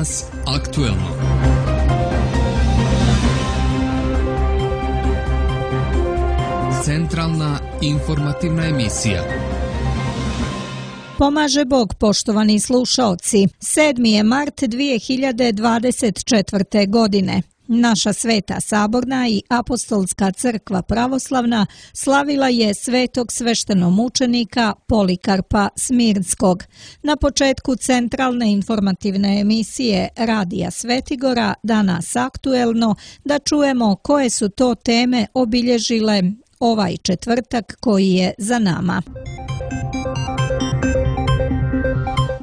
Danas aktuelno. Centralna informativna emisija. Pomaže Bog, poštovani slušaoci. 7. je mart 2024. godine. Naša Sveta Saborna i Apostolska crkva pravoslavna slavila je svetog sveštenomučenika Polikarpa Smirnskog. Na početku centralne informativne emisije Radija Svetigora Danas aktuelno da čujemo koje su to teme obilježile ovaj četvrtak koji je za nama.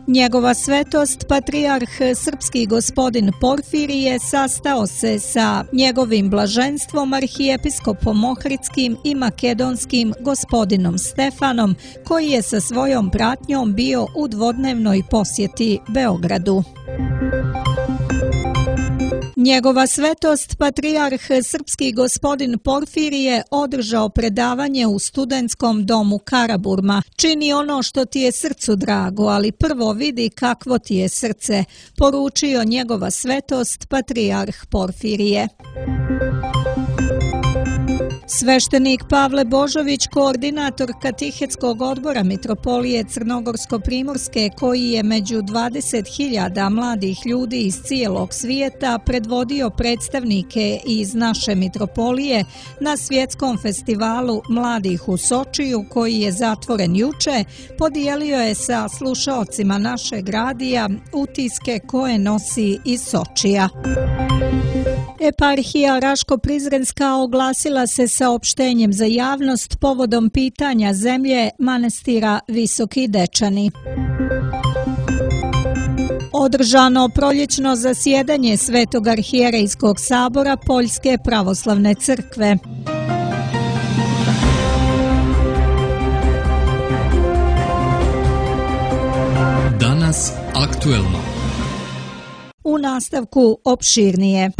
Njegova svetost, patrijarh srpski gospodin Porfirije, sastao se sa njegovim blaženstvom arhijepiskopom Ohridskim i makedonskim gospodinom Stefanom, koji je sa svojom pratnjom bio u dvodnevnoj posjeti Beogradu. Njegova svetost, patrijarh srpski gospodin Porfirije, održao predavanje u studentskom domu Karaburma. Čini ono što ti je srcu drago, ali prvo vidi kakvo ti je srce, poručio njegova svetost, patrijarh Porfirije. Sveštenik Pavle Božović, koordinator Katehetskog odbora Mitropolije Crnogorsko-Primorske, koji je među 20.000 mladih ljudi iz cijelog svijeta predvodio predstavnike iz naše mitropolije na svjetskom festivalu mladih u Sočiju, koji je zatvoren juče, podijelio je sa slušaocima našeg radija utiske koje nosi iz Sočija. Eparhija Raško-Prizrenska oglasila se saopštenjem za javnost povodom pitanja zemlje manastira Visoki Dečani. Održano proljećno zasjedanje Svetog arhijerejskog sabora Poljske pravoslavne crkve. Danas aktuelno. U nastavku opširnije.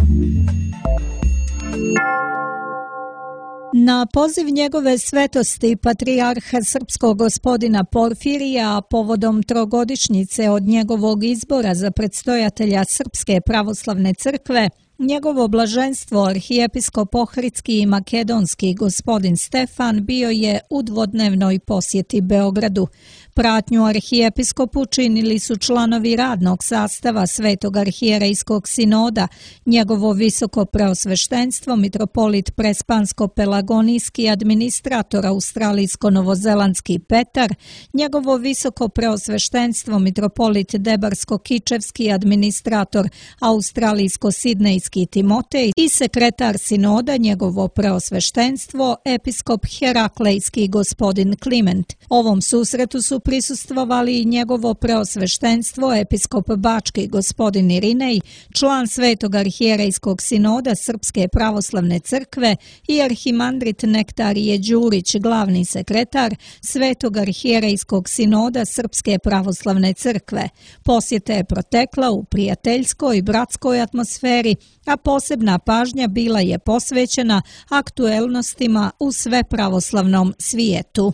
Na poziv njegove svetosti patrijarha srpskog gospodina Porfirija povodom trogodišnjice od njegovog izbora za predstojatelja Srpske pravoslavne crkve, njegovo blaženstvo arhijepiskop Ohridski i makedonski gospodin Stefan bio je u dvodnevnoj posjeti Beogradu. Pratnju arhijepiskopu činili su članovi radnog sastava Svetog arhijerejskog sinoda, njegovo visoko preosveštenstvo mitropolit prespansko-pelagonijski administrator australijsko-novozelandski Petar, njegovo visoko preosveštenstvo mitropolit debarsko-kičevski administrator australijsko-sidnejski Timotej i sekretar sinoda njegovo preosveštenstvo episkop heraklejski gospodin Kliment. Ovom susretu su prisustvovali i njegovo preosveštenstvo episkop bački gospodin Irinej, član Svetog arhijerejskog sinoda Srpske pravoslavne crkve i arhimandrit Nektarije Đurić, glavni sekretar Svetog arhijerejskog sinoda Srpske pravoslavne crkve. Posjeta je protekla u prijateljskoj i bratskoj atmosferi, a posebna pažnja bila je posvećena aktuelnostima u svepravoslavnom svijetu.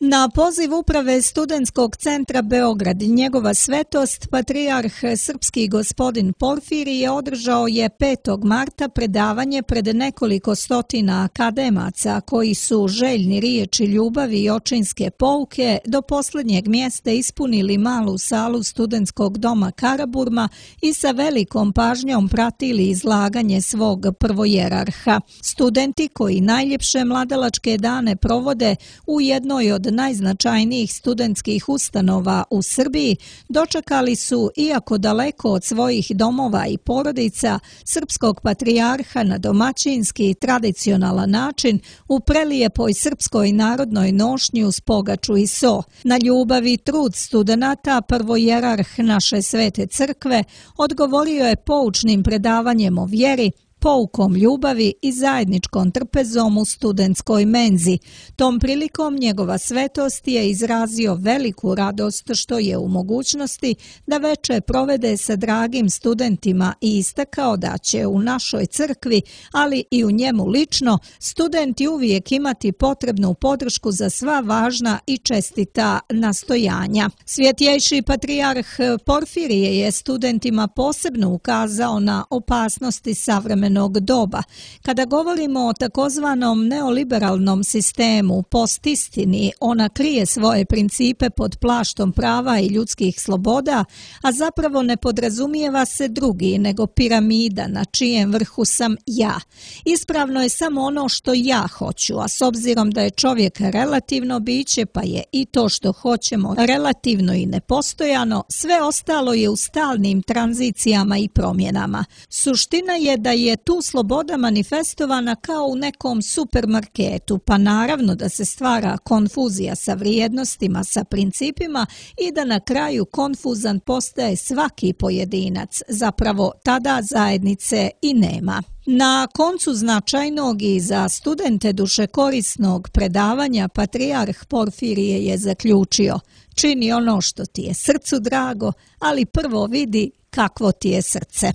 Na poziv uprave Studentskog centra Beograd, njegova svetost, patrijarh srpski gospodin Porfirije održao je 5. marta predavanje pred nekoliko stotina akademaca koji su željni riječi ljubavi i očinske pouke do posljednjeg mjesta ispunili malu salu Studentskog doma Karaburma i sa velikom pažnjom pratili izlaganje svog prvojerarha. Studenti koji najljepše mladalačke dane provode u jednoj od najznačajnijih studentskih ustanova u Srbiji dočekali su, iako daleko od svojih domova i porodica, srpskog patrijarha na domaćinski i tradicionalan način u prelijepoj srpskoj narodnoj nošnji uz pogaču i so. Na ljubav i trud studenata prvojerarh naše svete crkve odgovorio je poučnim predavanjem o vjeri, poukom ljubavi i zajedničkom trpezom u studentskoj menzi. Tom prilikom njegova svetost je izrazio veliku radost što je u mogućnosti da veče provede sa dragim studentima i istakao da će u našoj crkvi, ali i u njemu lično, studenti uvijek imati potrebnu podršku za sva važna i čestita nastojanja. Svjetjejši patrijarh Porfirije je studentima posebno ukazao na opasnosti savremenog doba. Kada govorimo o takozvanom neoliberalnom sistemu, postistini, ona krije svoje principe pod plaštom prava i ljudskih sloboda, a zapravo ne podrazumijeva se drugi, nego piramida na čijem vrhu sam ja. Ispravno je samo ono što ja hoću, a s obzirom da je čovjek relativno biće, pa je i to što hoćemo relativno i nepostojano, sve ostalo je u stalnim tranzicijama i promjenama. Suština je da je tu sloboda manifestovana kao u nekom supermarketu, pa naravno da se stvara konfuzija sa vrijednostima, sa principima i da na kraju konfuzan postaje svaki pojedinac, zapravo tada zajednice i nema. Na koncu značajnog i za studente dušekorisnog predavanja patrijarh Porfirije je zaključio: čini ono što ti je srcu drago, ali prvo vidi kakvo ti je srce.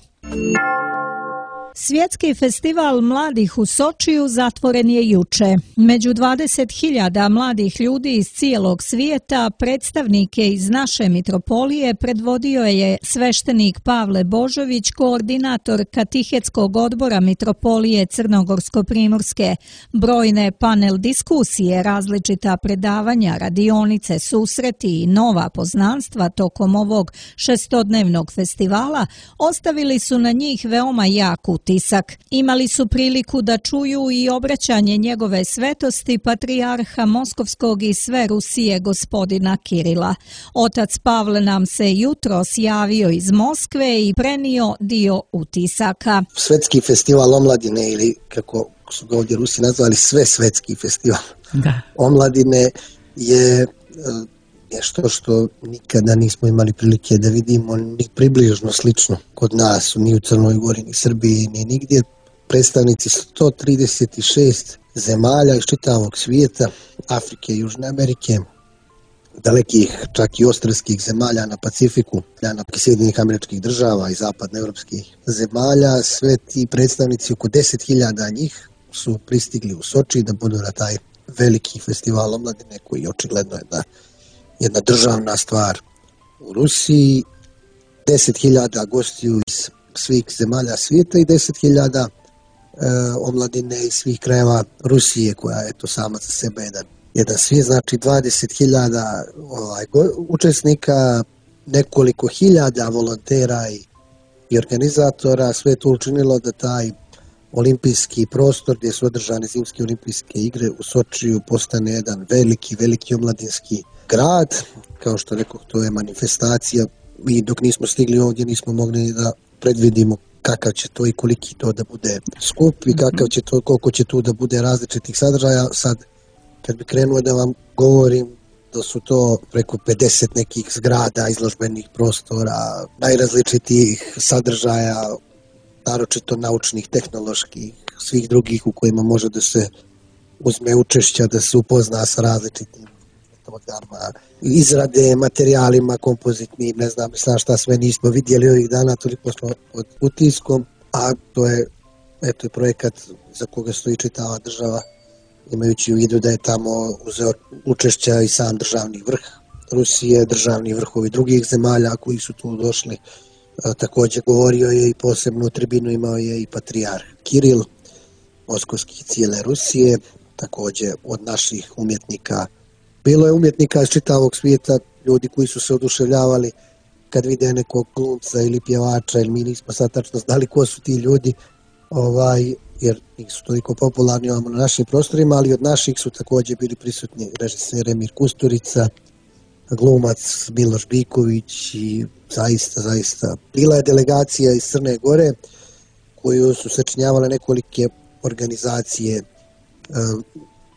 Svjetski festival mladih u Sočiju zatvoren je juče. Među 20.000 mladih ljudi iz cijelog svijeta predstavnike iz naše mitropolije predvodio je sveštenik Pavle Božović, koordinator Katehetskog odbora mitropolije Crnogorsko-primorske. Brojne panel diskusije, različita predavanja, radionice, susreti i nova poznanstva tokom ovog šestodnevnog festivala ostavili su na njih veoma jak utisak. Imali su priliku da čuju i obraćanje njegove svetosti patrijarha Moskovskog i sve Rusije gospodina Kirila. Otac Pavle nam se jutros javio iz Moskve i prenio dio utisaka. Svetski festival omladine, ili kako su ga ovdje Rusi nazvali, svesvetski festival omladine, je nešto što nikada nismo imali prilike da vidimo ni približno slično kod nas, ni u Crnoj Gori, ni Srbiji, ni nigdje. Predstavnici 136 zemalja iz čitavog svijeta, Afrike i Južne Amerike, dalekih čak i ostrvskih zemalja na Pacifiku, na Sjedinjenih Američkih Država i zapadnoevropskih zemalja, sve ti predstavnici, oko 10.000 njih, su pristigli u Soči da budu na taj veliki festival omladine koji očigledno je jedna državna stvar u Rusiji. 10.000 gostiju iz svih zemalja svijeta i 10.000 omladine iz svih krajeva Rusije, koja je to sama za sebe jedan svijet. Znači 20.000 učesnika, nekoliko hiljada volontera i organizatora. Sve to učinilo da taj olimpijski prostor gdje su održane zimske olimpijske igre u Sočiju postane jedan veliki omladinski grad. Kao što rekao, to je manifestacija i dok nismo stigli ovdje nismo mogli da predvidimo kakav će to i koliki to da bude skup i koliko će tu da bude različitih sadržaja. Sad, kad bi krenuo da vam govorim da su to preko 50 nekih zgrada, izložbenih prostora, najrazličitijih sadržaja, naročito naučnih, tehnoloških, svih drugih u kojima može da se uzme učešća, da se upozna sa različitim metodama, izrade, materijalima kompozitnim, ne znam šta sve nismo vidjeli ovih dana, toliko smo pod utiskom, a to je projekat za koga stoji čitava država, imajući u vidu da je tamo uzeo učešća i sam državni vrh Rusije, državni vrhovi drugih zemalja koji su tu došli. Također govorio je i posebnu tribinu imao je i patrijarh Kiril, moskovski cijele Rusije, također od naših umjetnika. Bilo je umjetnika iz čitavog svijeta, ljudi koji su se oduševljavali kad vide nekog glumca ili pjevača, jer mi nismo sad tačno znali ko su ti ljudi, jer nisu toliko popularni na našim prostorima, ali od naših su također bili prisutni režiser Emir Kusturica, glumac Miloš Biković i zaista. Bila je delegacija iz Crne Gore koju su sačinjavale nekolike organizacije,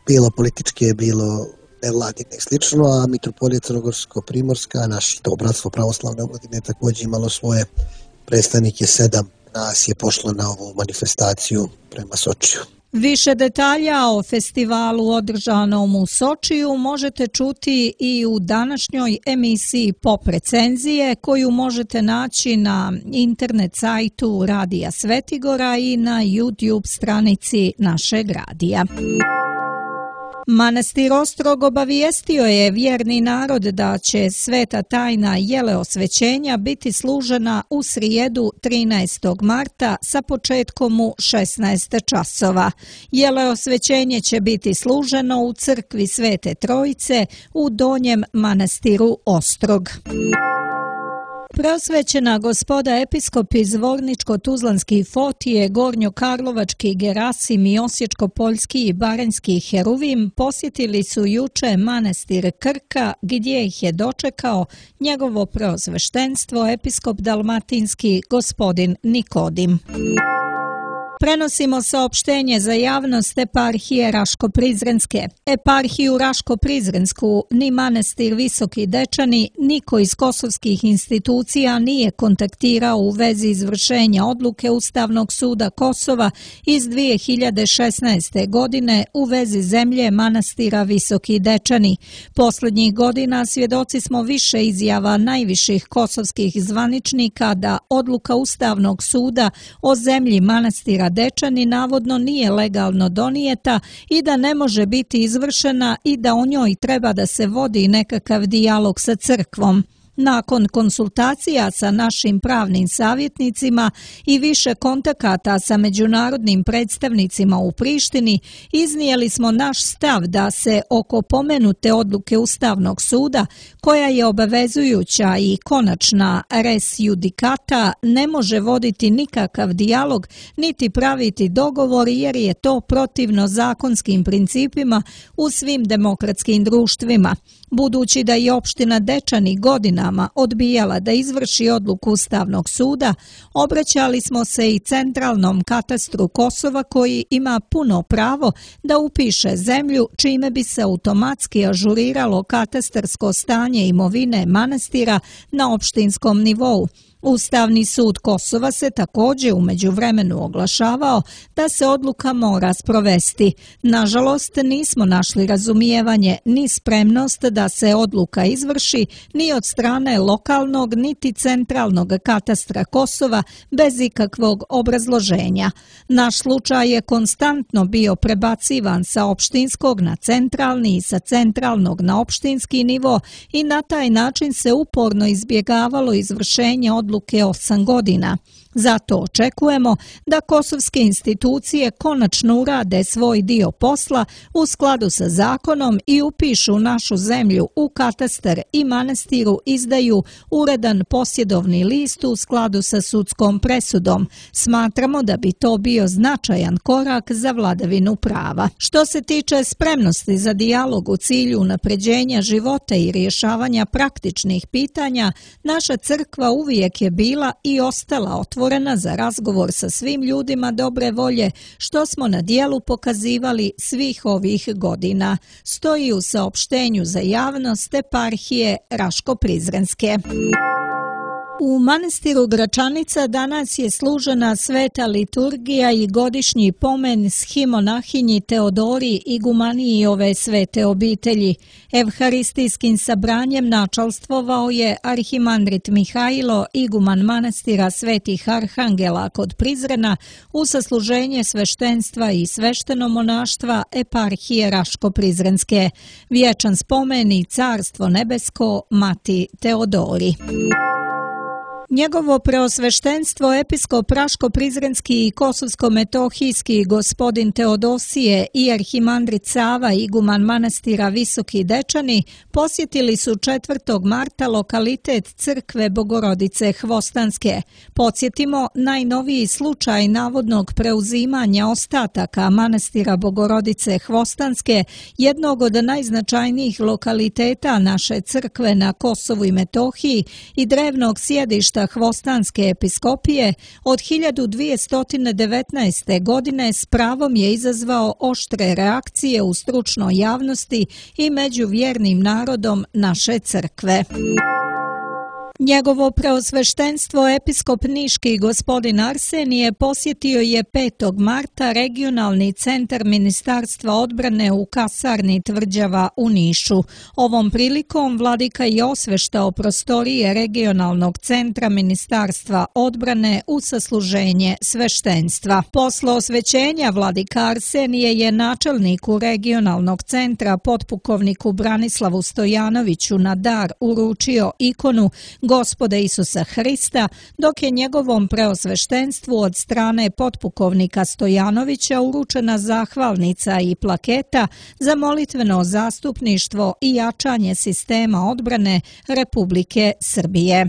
bilo političke, bilo nevladine i slično, a mitropolija Crnogorsko-primorska, naše to bratstvo pravoslavne omladine, također imalo svoje predstavnike 7 nas je pošlo na ovu manifestaciju prema Sočiju. Više detalja o festivalu održanom u Sočiju možete čuti i u današnjoj emisiji Pop recenzije koju možete naći na internet sajtu Radija Svetigora i na YouTube stranici našeg radija. Manastir Ostrog obavijestio je vjerni narod da će sveta tajna jeleosvećenja biti služena u srijedu 13. marta sa početkom u 16 časova. Jeleosvećenje će biti služeno u crkvi Svete Trojice u Donjem manastiru Ostrog. Preosvećena gospoda episkopi Zvorničko-Tuzlanski Fotije, Gornjokarlovački Gerasim i Osječko-Poljski i Baranjski Heruvim posjetili su juče manastir Krka gdje ih je dočekao njegovo preosveštenstvo episkop dalmatinski gospodin Nikodim. Prenosimo saopštenje za javnost eparhije Raško-Prizrenske. Eparhiju Raško-Prizrensku ni manastir Visoki Dečani, niko iz kosovskih institucija nije kontaktirao u vezi izvršenja odluke Ustavnog suda Kosova iz 2016. godine u vezi zemlje manastira Visoki Dečani. Posljednjih godina svjedoci smo više izjava najviših kosovskih zvaničnika da odluka Ustavnog suda o zemlji manastira Dečani navodno nije legalno donijeta i da ne može biti izvršena i da o njoj treba da se vodi nekakav dijalog sa crkvom. Nakon konsultacija sa našim pravnim savjetnicima i više kontakata sa međunarodnim predstavnicima u Prištini, iznijeli smo naš stav da se oko pomenute odluke Ustavnog suda, koja je obavezujuća i konačna res judicata, ne može voditi nikakav dijalog niti praviti dogovor jer je to protivno zakonskim principima u svim demokratskim društvima. Budući da je opština Dečani godinama odbijala da izvrši odluku Ustavnog suda, obraćali smo se i centralnom katastru Kosova koji ima puno pravo da upiše zemlju čime bi se automatski ažuriralo katastarsko stanje imovine manastira na opštinskom nivou. Ustavni sud Kosova se također u međuvremenu oglašavao da se odluka mora sprovesti. Nažalost, nismo našli razumijevanje ni spremnost da se odluka izvrši ni od strane lokalnog niti centralnog katastra Kosova bez ikakvog obrazloženja. Naš slučaj je konstantno bio prebacivan sa opštinskog na centralni i sa centralnog na opštinski nivo i na taj način se uporno izbjegavalo izvršenje odluke 8 godina. Zato očekujemo da kosovske institucije konačno urade svoj dio posla u skladu sa zakonom i upišu našu zemlju u katastar i manastiru izdaju uredan posjedovni list u skladu sa sudskom presudom. Smatramo da bi to bio značajan korak za vladavinu prava. Što se tiče spremnosti za dijalog u cilju unapređenja života i rješavanja praktičnih pitanja, naša crkva uvijek je bila i ostala otvorena za razgovor sa svim ljudima dobre volje, što smo na dijelu pokazivali svih ovih godina, stoji u saopštenju za javnost eparhije Raško-Prizrenske. U manastiru Gračanica danas je služena sveta liturgija i godišnji pomen schimonahini Teodori igumaniji ove svete obitelji. Evharistijskim sabranjem načalstvovao je arhimandrit Mihajlo, iguman manastira Svetih Arhangela kod Prizrena, u sasluženje sveštenstva i sveštenomonaštva eparhije Raško-Prizrenske. Vječan spomen i carstvo nebesko Mati Teodori. Njegovo preosveštenstvo episkop Raško-Prizrenski i Kosovsko-Metohijski gospodin Teodosije i arhimandrit Sava iguman manastira Visoki Dečani posjetili su 4. marta lokalitet crkve Bogorodice Hvostanske. Podsjetimo, najnoviji slučaj navodnog preuzimanja ostataka manastira Bogorodice Hvostanske, jednog od najznačajnijih lokaliteta naše crkve na Kosovu i Metohiji i drevnog sjedišta Hvostanske episkopije, od 1219. godine s pravom je izazvao oštre reakcije u stručnoj javnosti i među vjernim narodom naše crkve. Njegovo preosveštenstvo episkop niški gospodin Arsenije posjetio je 5. marta regionalni centar Ministarstva odbrane u kasarni Tvrđava u Nišu. Ovom prilikom vladika je osveštao prostorije regionalnog centra Ministarstva odbrane u sasluženje sveštenstva. Posle osvećenja vladika Arsenije je načelniku regionalnog centra potpukovniku Branislavu Stojanoviću na dar uručio ikonu Gospoda Isusa Hrista, dok je njegovom preosveštenstvu od strane potpukovnika Stojanovića uručena zahvalnica i plaketa za molitveno zastupništvo i jačanje sistema odbrane Republike Srbije.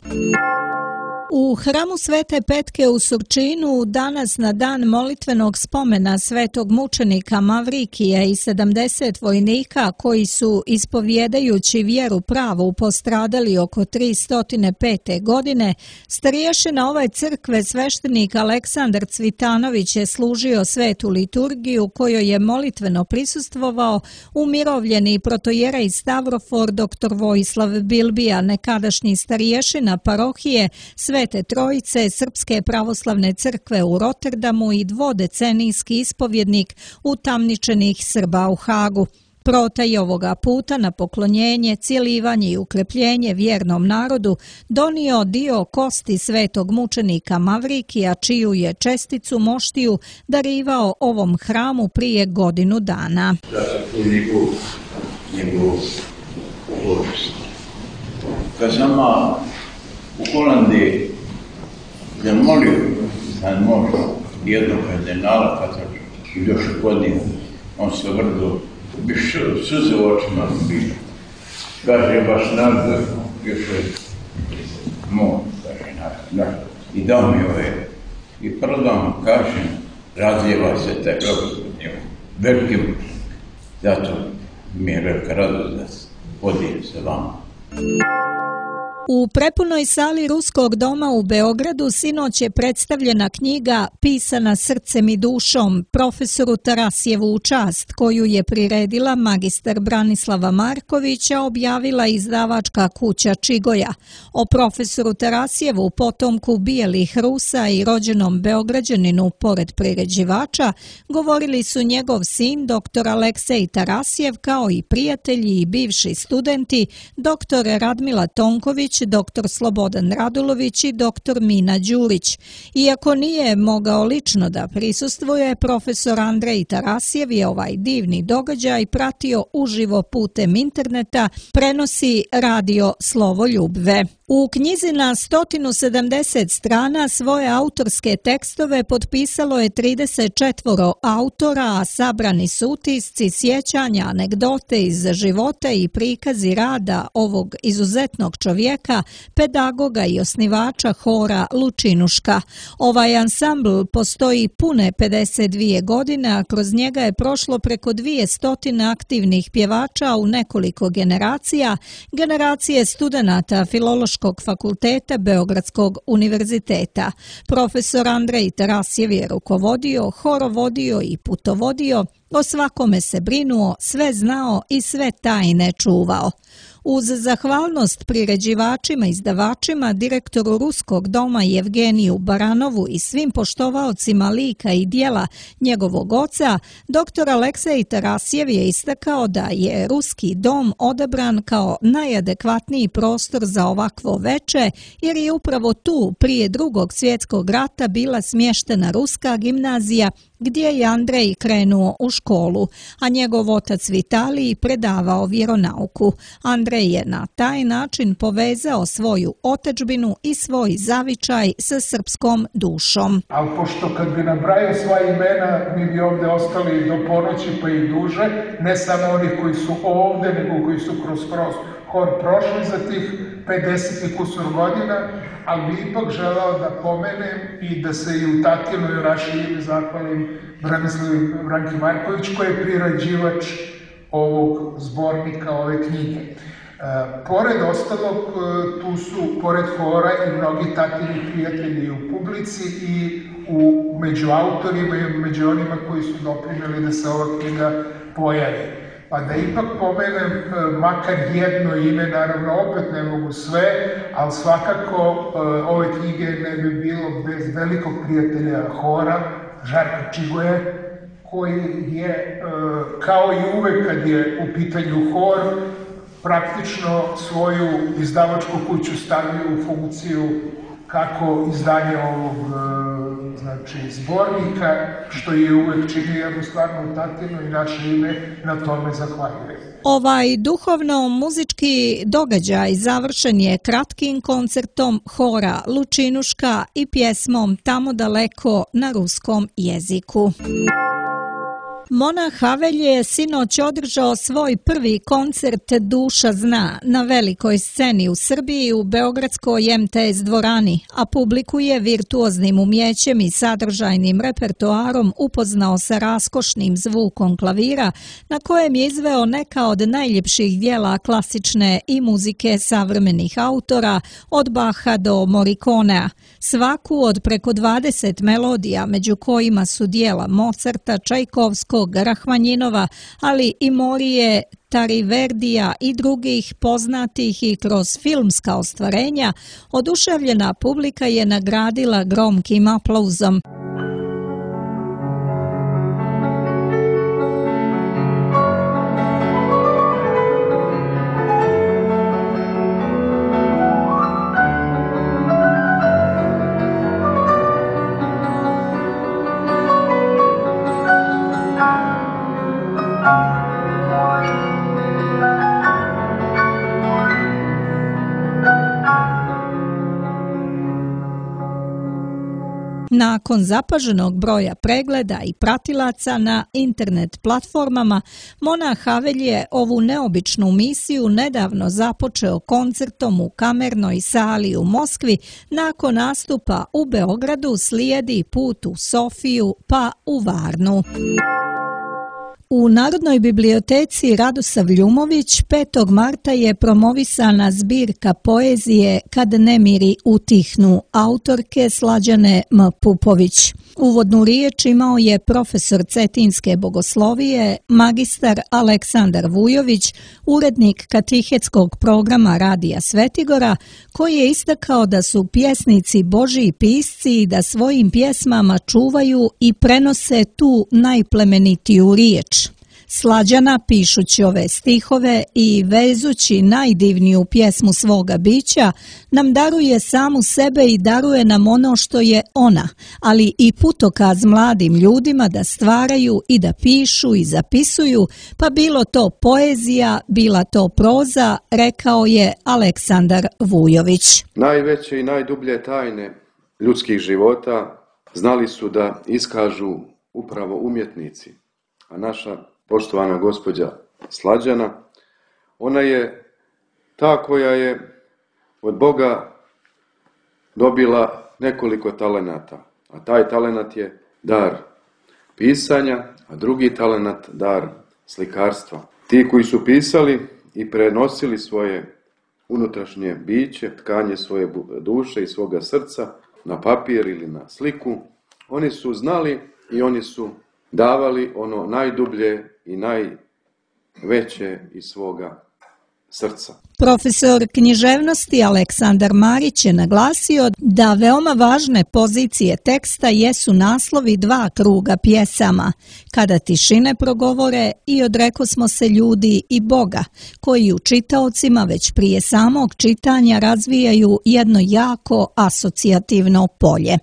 U hramu Svete Petke u Surčinu danas na dan molitvenog spomena svetog mučenika Mavrikija i 70 vojnika koji su ispovjedajući vjeru pravu postradali oko 305. godine, starješina ove crkve sveštenik Aleksandar Cvitanović je služio svetu liturgiju kojoj je molitveno prisustvovao umirovljeni protojerej Stavrofor dr. Vojislav Bilbija, nekadašnji starješina parohije Svete Trojice Srpske pravoslavne crkve u Rotterdamu i dvodecenijski ispovjednik utamničenih Srba u Hagu. Protaj ovoga puta na poklonjenje, cjelivanje i ukrepljenje vjernom narodu donio dio kosti svetog mučenika Mavrikija, čiju je česticu moštiju darivao ovom hramu prije godinu dana. Da se tu njegovu povijest. Kad sam u Holandiji zamolio da može jednog kardinala katolička i došao kod njega, on se vrlo suze u očima bilo. Kaže, baš narod još je moj, kaže narod. I dao mi ove. I prvo da vam kažem, razlijeva se taj robot od njega. Veliki mučnik. Zato mi je velika radost da se podijem sa vama. U prepunoj sali Ruskog doma u Beogradu sinoć je predstavljena knjiga Pisana srcem i dušom profesoru Tarasijevu u čast, koju je priredila magistar Branislava Markovića, objavila izdavačka kuća Čigoja. O profesoru Tarasijevu, potomku bijelih Rusa i rođenom Beograđaninu pored priređivača, govorili su njegov sin dr. Aleksej Tarasijev kao i prijatelji i bivši studenti dr. Radmila Tonković, dr. Slobodan Radulović i dr. Mina Đurić. Iako nije mogao lično da prisustvuje, profesor Andrej Tarasijev je ovaj divni događaj pratio uživo putem interneta, prenosi radio Slovo Ljubve. U knjizi na 170 strana svoje autorske tekstove potpisalo je 34 autora, a sabrani su utisci, sjećanja, anegdote iz života i prikazi rada ovog izuzetnog čovjeka, pedagoga i osnivača hora Lučinuška. Ovaj ansambl postoji pune 52 godine, a kroz njega je prošlo preko 200 aktivnih pjevača u nekoliko generacija, generacije studenata Filološkog fakulteta Beogradskog univerziteta. Profesor Andrej Tarasijev je rukovodio, horovodio i putovodio, o svakome se brinuo, sve znao i sve tajne čuvao. Uz zahvalnost priređivačima, izdavačima, direktoru Ruskog doma Jevgeniju Baranovu i svim poštovaocima lika i dijela njegovog oca, dr. Aleksej Tarasijev je istakao da je Ruski dom odabran kao najadekvatniji prostor za ovakvo veče, jer je upravo tu prije Drugog svjetskog rata bila smještena Ruska gimnazija gdje je Andrej krenuo u školu, a njegov otac Vitalij predavao vjeronauku. Andrej je na taj način povezao svoju otadžbinu i svoj zavičaj sa srpskom dušom. Ali pošto kad bi nabrajao sva imena, mi bi ovdje ostali do ponoći pa i duže, ne samo oni koji su ovdje, nego koji su kroz hor prošli za tih 50 i kusur godina, ali bi ipak želao da pomenem i da se i u Tatinu i Raši zahvalim Branislavu Branki Marković, koji je priređivač ovog zbornika, ove knjige. Pored ostalog, tu su, pored hora, i mnogi tatini prijatelji u publici i među autorima i među onima koji su doprinijeli da se ova knjiga pojavi. Pa da ipak pomenem makar jedno ime, naravno opet ne mogu sve, ali svakako ove knjige ne bi bilo bez velikog prijatelja hora, Žarka Čigoje, koji je, kao i uvek kad je u pitanju hor, praktično svoju izdavačku kuću stavio u funkciju kako izdanje ovog zbornika, što je uvek činio jednu stvarnu tatinu i naše ime na tome zahvaljuje. Ovaj duhovno-muzički događaj završen je kratkim koncertom hora Lučinuška i pjesmom Tamo daleko na ruskom jeziku. Monah Havelj je sinoć održao svoj prvi koncert Duša zna na velikoj sceni u Srbiji u beogradskoj MTS dvorani, a publiku je virtuoznim umjećem i sadržajnim repertoarom upoznao sa raskošnim zvukom klavira na kojem je izveo neka od najljepših dijela klasične i muzike savremenih autora od Baha do Morikonea, svaku od preko 20 melodija, među kojima su dijela Mozarta, Čajkovskog, Rahmanjinova, ali i Morije, Tariverdija i drugih poznatih i kroz filmska ostvarenja, oduševljena publika je nagradila gromkim aplauzom. Nakon zapaženog broja pregleda i pratilaca na internet platformama, Monah Havelj je ovu neobičnu misiju nedavno započeo koncertom u Kamernoj sali u Moskvi. Nakon nastupa u Beogradu slijedi put u Sofiju pa u Varnu. U Narodnoj biblioteci Radosav Ljumović 5. marta je promovisana zbirka poezije Kad nemiri utihnu autorke Slađane M. Pupović. Uvodnu riječ imao je profesor Cetinske bogoslovije, magistar Aleksandar Vujović, urednik katehetskog programa Radija Svetigora, koji je istakao da su pjesnici Božji pisci i da svojim pjesmama čuvaju i prenose tu najplemenitiju riječ. Slađana, pišući ove stihove i vezući najdivniju pjesmu svoga bića, nam daruje samu sebe i daruje nam ono što je ona, ali i putokaz mladim ljudima da stvaraju i da pišu i zapisuju, pa bilo to poezija, bila to proza, rekao je Aleksandar Vujović. Najveće i najdublje tajne ljudskih života znali su da iskažu upravo umjetnici, a naša poštovana gospođa Slađana, ona je ta koja je od Boga dobila nekoliko talenata, a taj talenat je dar pisanja, a drugi talenat dar slikarstva. Ti koji su pisali i prenosili svoje unutrašnje biće, tkanje svoje duše i svoga srca na papir ili na sliku, oni su znali i oni su davali ono najdublje i najveće iz svoga srca. Profesor književnosti Aleksandar Marić je naglasio da veoma važne pozicije teksta jesu naslovi 2 kruga pjesama, Kada tišine progovore i Odrekosmo se ljudi i Boga, koji u čitaocima već prije samog čitanja razvijaju jedno jako asocijativno polje.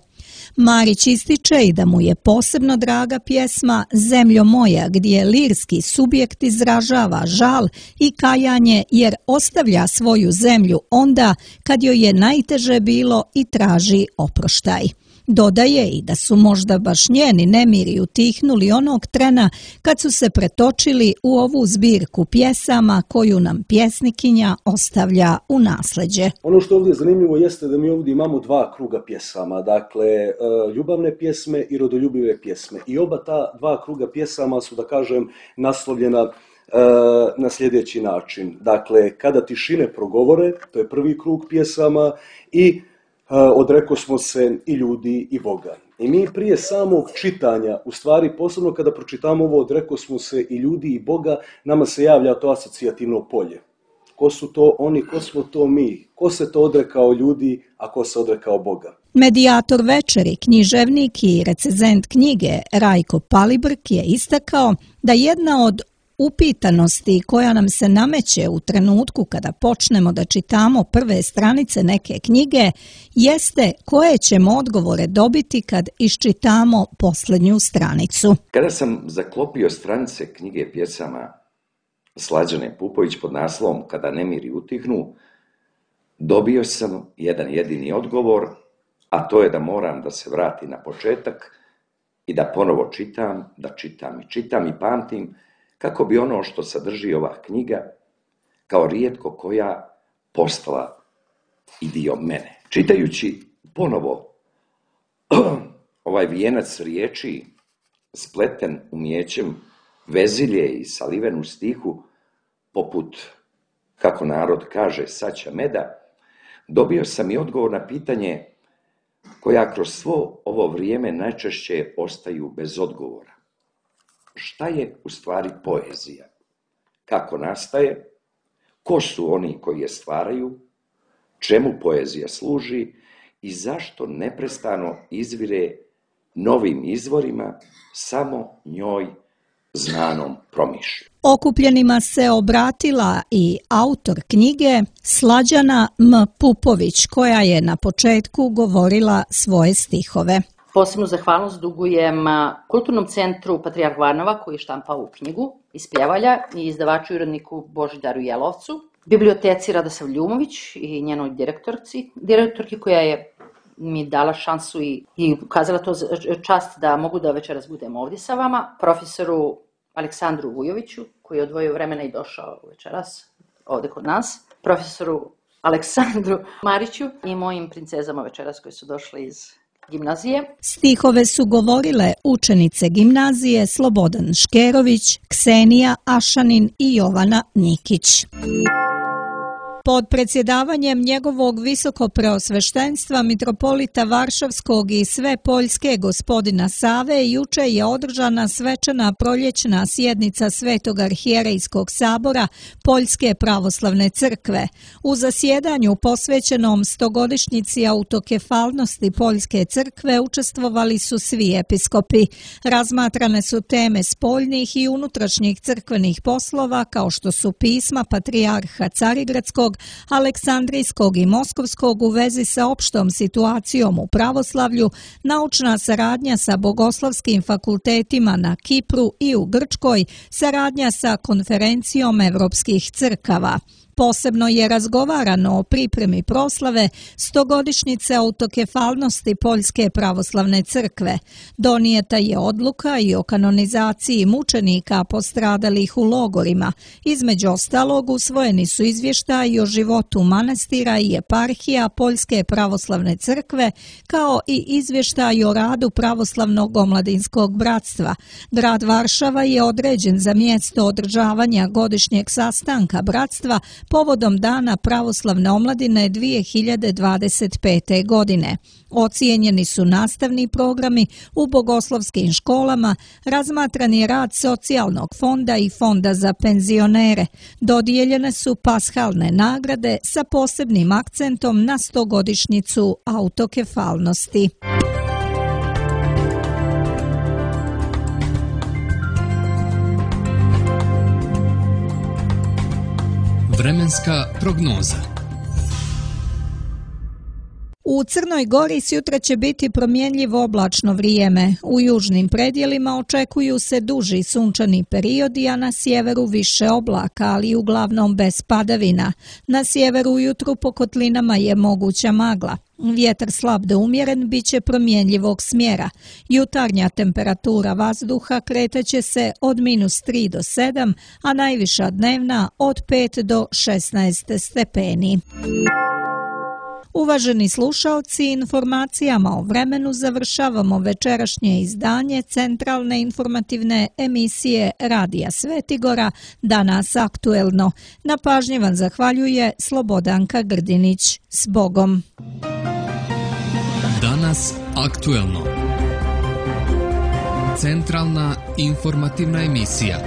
Marić ističe i da mu je posebno draga pjesma Zemljo moja, gdje lirski subjekt izražava žal i kajanje jer ostavlja svoju zemlju onda kad joj je najteže bilo i traži oproštaj. Dodaje i da su možda baš njeni nemiri utihnuli onog trena kad su se pretočili u ovu zbirku pjesama koju nam pjesnikinja ostavlja u nasleđe. Ono što ovdje je zanimljivo jeste da mi ovdje imamo 2 kruga pjesama, dakle ljubavne pjesme i rodoljubive pjesme. I oba ta 2 kruga pjesama su, da kažem, naslovljena na sljedeći način. Dakle, Kada tišine progovore, to je prvi krug pjesama, i Odrekosmo se i ljudi i Boga. I mi prije samog čitanja, u stvari posebno kada pročitamo ovo odreko smo se i ljudi i Boga, nama se javlja to asocijativno polje. Ko su to oni, ko smo to mi, ko se to odrekao ljudi, a ko se odrekao Boga. Medijator večeri, književnik i recenzent knjige Rajko Palibrk je istakao da jedna od upitanosti koja nam se nameće u trenutku kada počnemo da čitamo prve stranice neke knjige jeste koje ćemo odgovore dobiti kad iščitamo posljednju stranicu. Kada sam zaklopio stranice knjige pjesama Slađane Pupović pod naslovom Kada nemiri utihnu, dobio sam jedan jedini odgovor, a to je da moram da se vratim na početak i da ponovo čitam, da čitam i pamtim kako bi ono što sadrži ova knjiga kao rijetko koja postala i dio mene. Čitajući ponovo ovaj vijenac riječi spleten umijećem vezilje i saliven u stihu poput, kako narod kaže, saća meda, dobio sam i odgovor na pitanje koja kroz svo ovo vrijeme najčešće ostaju bez odgovora. Šta je u stvari poezija? Kako nastaje? Ko su oni koji je stvaraju? Čemu poezija služi? I zašto neprestano izvire novim izvorima samo njoj znanom promišlju? Okupljenima se obratila i autor knjige Slađana M. Pupović, koja je na početku govorila svoje stihove. Posebnu zahvalnost dugujem Kulturnom centru Patrijarh Varnava koji je štampao ovu knjigu iz Pljevalja i izdavaču i uredniku Božidaru Jelovcu, biblioteci Radosav Ljumović i njenoj direktorki koja je mi dala šansu i ukazala to čast da mogu da večeras budem ovdje sa vama, profesoru Aleksandru Vujoviću koji je odvojio vremena i došao večeras ovdje kod nas, profesoru Aleksandru Mariću i mojim princezama večeras koje su došle iz gimnazije. Stihove su govorile učenice gimnazije Slobodan Škerović, Ksenija Ašanin i Jovana Nikić. Pod predsjedavanjem njegovog visokopreosveštenstva mitropolita Varšavskog i sve Poljske gospodina Save juče je održana svečana proljećna sjednica Svetog arhijerejskog sabora Poljske pravoslavne crkve. U zasjedanju posvećenom 100-godišnjici autokefalnosti Poljske crkve učestvovali su svi episkopi. Razmatrane su teme spoljnih i unutrašnjih crkvenih poslova kao što su pisma patrijarha Carigradskog, Aleksandrijskog i Moskovskog u vezi sa opštom situacijom u pravoslavlju, naučna saradnja sa bogoslovskim fakultetima na Kipru i u Grčkoj, saradnja sa konferencijom evropskih crkava. Posebno je razgovarano o pripremi proslave 100-godišnjice autokefalnosti Poljske pravoslavne crkve. Donijeta je odluka i o kanonizaciji mučenika postradalih u logorima. Između ostalog usvojeni su izvještaji o životu manastira i eparhija Poljske pravoslavne crkve, kao i izvještaji o radu pravoslavnog omladinskog bratstva. Grad Varšava je određen za mjesto održavanja godišnjeg sastanka bratstva povodom Dana pravoslavne omladine 2025. godine. Ocijenjeni su nastavni programi u bogoslovskim školama, razmatran je rad socijalnog fonda i fonda za penzionere. Dodijeljene su pashalne nagrade sa posebnim akcentom na 100-godišnjicu autokefalnosti. Vremenska prognoza. U Crnoj Gori sutra će biti promjenjivo oblačno vrijeme. U južnim predjelima očekuju se duži sunčani periodi, a na sjeveru više oblaka, ali uglavnom bez padavina. Na sjeveru ujutru po kotlinama je moguća magla. Vjetar slab do umjeren bit će promjenjivog smjera. Jutarnja temperatura vazduha kretaće se od -3 do 7, a najviša dnevna od 5 do 16 stepeni. Uvaženi slušalci, informacijama o vremenu završavamo večerašnje izdanje centralne informativne emisije Radija Svetigora Danas aktuelno. Na pažnji vam zahvaljuje Slobodanka Grdinić. S Bogom! Danas aktuelno. Centralna informativna emisija.